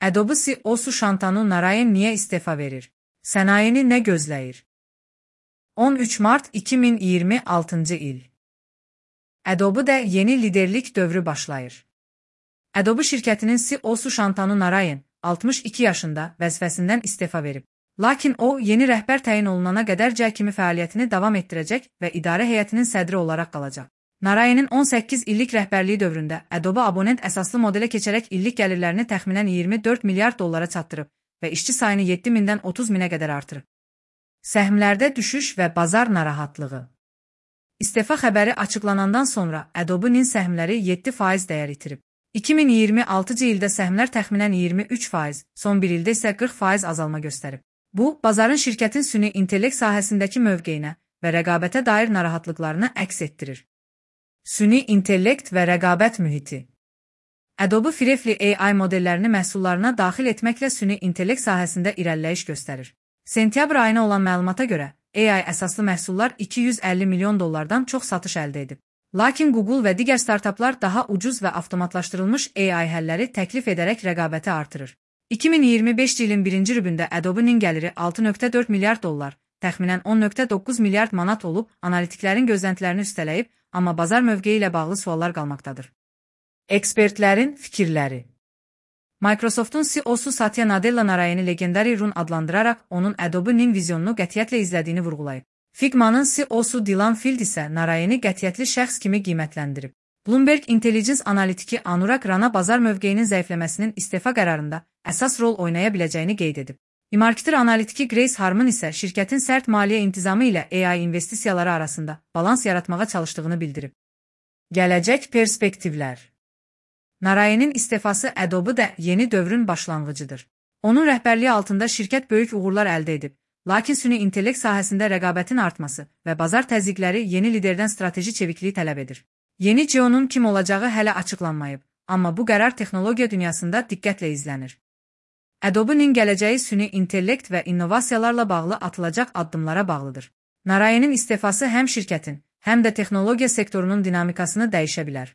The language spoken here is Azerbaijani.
Adobe CEO-su Shantanu Narayan niye istifa verir? Sənayeni nə gözləyir? 13 Mart 2026 il. Adobe'da yeni liderlik dövrü başlayır. Adobe şirkətinin CEO-su Shantanu Narayan 62 yaşında vəzifəsindən istifa verib. Lakin o, yeni rəhbər təyin olunana qədərcə kimi fəaliyyətini davam etdirəcək və idarə heyətinin sədri olaraq qalacaq. Narayanın 18 illik rəhbərliyi dövründə Adobe abonent əsaslı modelə keçərək illik gəlirlərini təxminən 24 milyard dollara çatdırıb və işçi sayını 7.000-dən 30.000-ə qədər artırıb. Səhmlərdə düşüş və bazar narahatlığı. İstifa xəbəri açıqlanandan sonra Adobe'nin səhmləri 7% dəyər itirib. 2026 ildə səhmlər təxminən 23%, son bir ildə isə 40% azalma göstərib. Bu, bazarın şirkətin süni intellekt sahəsindəki mövqeyinə və rəqabətə dair narahatlıqlarını əks etdirir. Süni intellekt və rəqabət mühiti. Adobe Firefly AI modellərini məhsullarına daxil etməklə süni intellekt sahəsində irəliləyiş göstərir. Sentyabr ayına olan məlumata görə, AI əsaslı məhsullar 250 milyon dollardan çox satış əldə edib. Lakin Google və digər startaplar daha ucuz və avtomatlaşdırılmış AI həlləri təklif edərək rəqabəti artırır. 2025 ilin birinci rübündə Adobe'nin gəliri 6.4 milyard dollar, təxminən 10.9 milyard manat olub, analitiklərin gözləntilərini üstələyib, amma bazar mövqeyi ilə bağlı suallar qalmaqdadır. Ekspertlərin fikirləri. Microsoft'un CEO-su Satya Nadella Narayanı legendary run adlandıraraq onun Adobe'nin vizyonunu qətiyyətlə izlədiyini vurğulayıb. Figma'nın CEO-su Dylan Field isə Narayanı qətiyyətli şəxs kimi qiymətləndirib. Bloomberg Intelligence analitiki Anurag Rana bazar mövqeyinin zəifləməsinin istifa qərarında əsas rol oynaya biləcəyini qeyd edib. eMarketer analitiki Grace Harman isə şirkətin sərt maliyyə intizamı ilə AI investisiyaları arasında balans yaratmağa çalışdığını bildirib. Gələcək perspektivlər. Narayanın istifası Adobe'da yeni dövrün başlanğıcıdır. Onun rəhbərliyi altında şirkət böyük uğurlar əldə edib, lakin süni intellekt sahəsində rəqabətin artması və bazar təzyiqləri yeni liderdən strateji çevikliyi tələb edir. Yeni CEO-nun kim olacağı hələ açıqlanmayıb, amma bu qərar texnologiya dünyasında diqqətlə izlənir. Adobe'nin gələcəyi süni intellekt və innovasiyalarla bağlı atılacaq addımlara bağlıdır. Narayanın istifası həm şirkətin, həm də texnologiya sektorunun dinamikasını dəyişə bilər.